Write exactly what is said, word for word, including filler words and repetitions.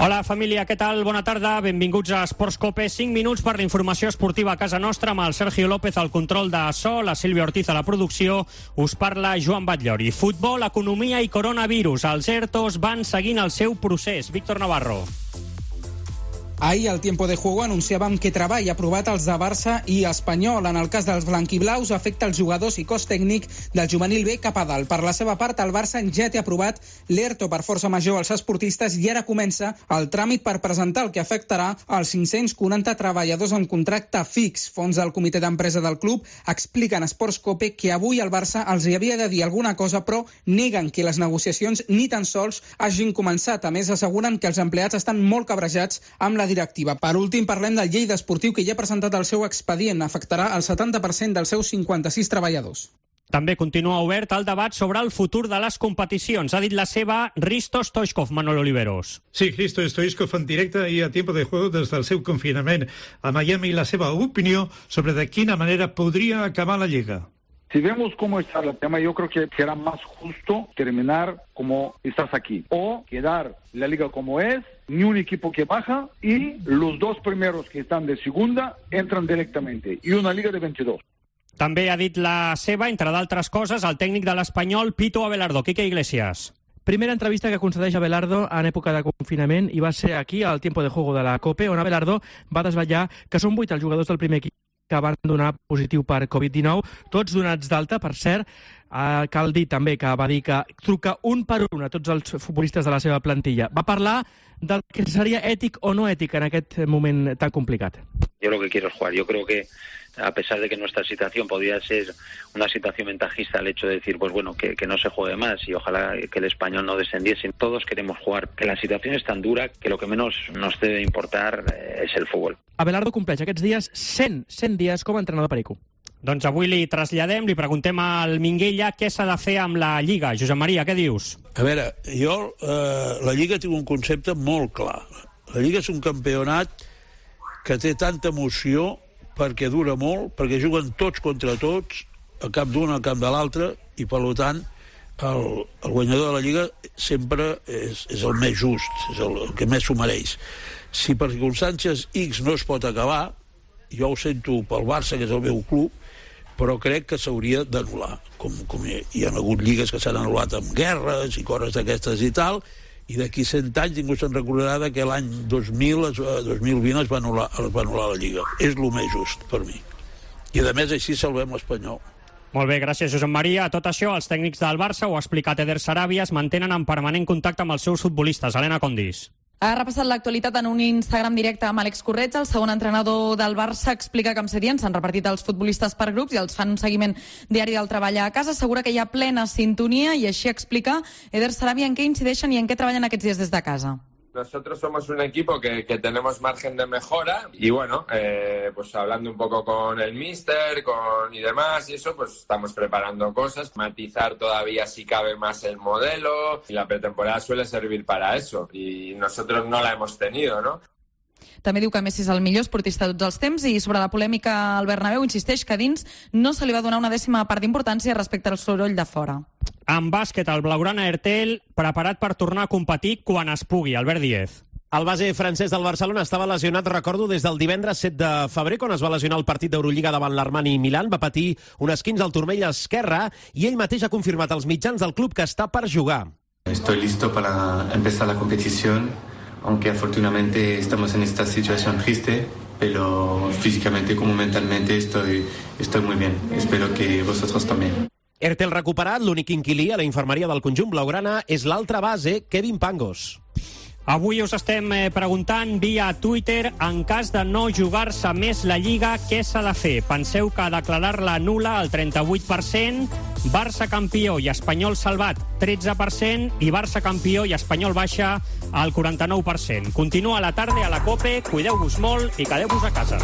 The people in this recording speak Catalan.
Hola família, què tal? Bona tarda, benvinguts a Esports Cope. cinc minuts per la informació esportiva a casa nostra amb el Sergio López al control de so, la Sílvia Ortiz a la producció. Us parla Joan Batllori. Futbol, economia i coronavirus. Els ERTOs van seguint el seu procés. Víctor Navarro. Ahir, al Tiempo de Juego, anunciàvem que treball aprovat els de Barça i Espanyol. En el cas dels blanquiblaus, afecta els jugadors i cos tècnic del juvenil B cap a dalt. Per la seva part, el Barça ja té aprovat l'ERTO per força major als esportistes i ara comença el tràmit per presentar el que afectarà als cinc-cents quaranta treballadors amb contracte fix. Fons del comitè d'empresa del club expliquen a Esports Cope que avui el Barça els hi havia de dir alguna cosa, però neguen que les negociacions ni tan sols hagin començat. A més, asseguren que els empleats estan molt cabrejats amb la directiva. Per últim, parlem del Lleida Esportiu, que ja ha presentat el seu expedient. Afectarà el setanta per cent dels seus cinquanta-sis treballadors. També continua obert el debat sobre el futur de les competicions. Ha dit la seva Hristo Stoichkov, Manolo Oliveros. Sí, Hristo Stoichkov en directe i a Tiempo de Juego des del seu confinament a Miami, la seva opinió sobre de quina manera podria acabar la Lliga. Si vemos cómo está el tema, yo creo que será más justo terminar como estás aquí o quedar la liga como es, ni un equipo que baja y los dos primeros que están de segunda entran directamente y una liga de veintidós. També ha dit la seva, entre d'altres coses, el tècnic de l'Espanyol, Pito Abelardo. Quique Iglesias. Primera entrevista que concedeix Abelardo en època de confinament i va ser aquí, al Tiempo de Juego de la COPE, on Abelardo va desvetllar que són vuit els jugadors del primer equip que van donar positiu per covid dinou, tots donats d'alta, per cert. Eh, cal dir també que va dir que truca un per un a tots els futbolistes de la seva plantilla. Va parlar del que seria ètic o no ètic en aquest moment tan complicat. Yo lo que quiero es jugar. Yo creo que a pesar de que nuestra situación podría ser una situación ventajista, el hecho de decir, pues bueno, que, que no se juegue más y ojalá que el Español no descendiese. Todos queremos jugar, que la situación es tan dura que lo que menos nos debe importar eh, es el fútbol. Abelardo compleix aquests dies cent, cent dies com a entrenador perico. Doncs avui li traslladem, li preguntem al Minguella què s'ha de fer amb la Lliga. Josep Maria, què dius? A veure, jo, eh, la Lliga té un concepte molt clar. La Lliga és un campionat que té tanta emoció perquè dura molt, perquè juguen tots contra tots, al cap d'un, al cap de l'altre, i per tant el, el guanyador de la Lliga sempre és, és el més just, és el, el que més s'ho mereix. Si per circumstàncies X no es pot acabar, jo ho sento pel Barça, que és el meu club, però crec que s'hauria d'anul·lar. Com, com hi, hi ha hagut lligues que s'han anul·lat amb guerres i coses d'aquestes i tal, i d'aquí cent anys ningú se'n recordarà que l'any dos mil, dos mil vint es va anul·lar, es va anul·lar la Lliga. És el més just per mi. I a més així salvem l'Espanyol. Molt bé, gràcies Josep Maria. A tot això, els tècnics del Barça, ho ha explicat Eder Sarabia, es mantenen en permanent contacte amb els seus futbolistes. Helena Condis. Ha repassat l'actualitat en un Instagram directe amb Àlex Corretja. El segon entrenador del Barça explica que amb Setién s'han repartit els futbolistes per grups i els fan un seguiment diari del treball a casa. Assegura que hi ha plena sintonia i així explica Eder Sarabia en què incideixen i en què treballen aquests dies des de casa. Nosotros somos un equipo que, que tenemos margen de mejora y bueno, eh, pues hablando un poco con el míster con, y demás y eso, pues estamos preparando cosas, matizar todavía si cabe más el modelo y la pretemporada suele servir para eso y nosotros no la hemos tenido, ¿no? També diu que Messi és el millor esportista de tots els temps i sobre la polèmica al Bernabéu insisteix que dins no se li va donar una dècima part d'importància respecte al soroll de fora. En bàsquet, el Blaugrana Ertel preparat per tornar a competir quan es pugui. Albert Díez. El base francès del Barcelona estava lesionat, recordo, des del divendres set de febrer, quan es va lesionar el partit d'Eurolliga davant l'Armani Milán. Va patir un esquinç al turmell esquerre i ell mateix ha confirmat als mitjans del club que està per jugar. Estoy listo para empezar la competición. Aunque afortunadamente estamos en esta situación triste, pero físicamente como mentalmente estoy, estoy muy bien. Espero que vosotros también. Ertel recuperat, l'únic inquilí a la infermeria del conjunt blaugrana és l'altre base, Kevin Pangos. Avui us estem preguntant via Twitter, en cas de no jugar-se més la Lliga, què s'ha de fer? Penseu que declarar-la nul·la al trenta-vuit per cent, Barça campió i Espanyol salvat tretze per cent i Barça campió i Espanyol baixa al quaranta-nou per cent. Continua la tarda a la COPE, cuideu-vos molt i quedeu-vos a casa.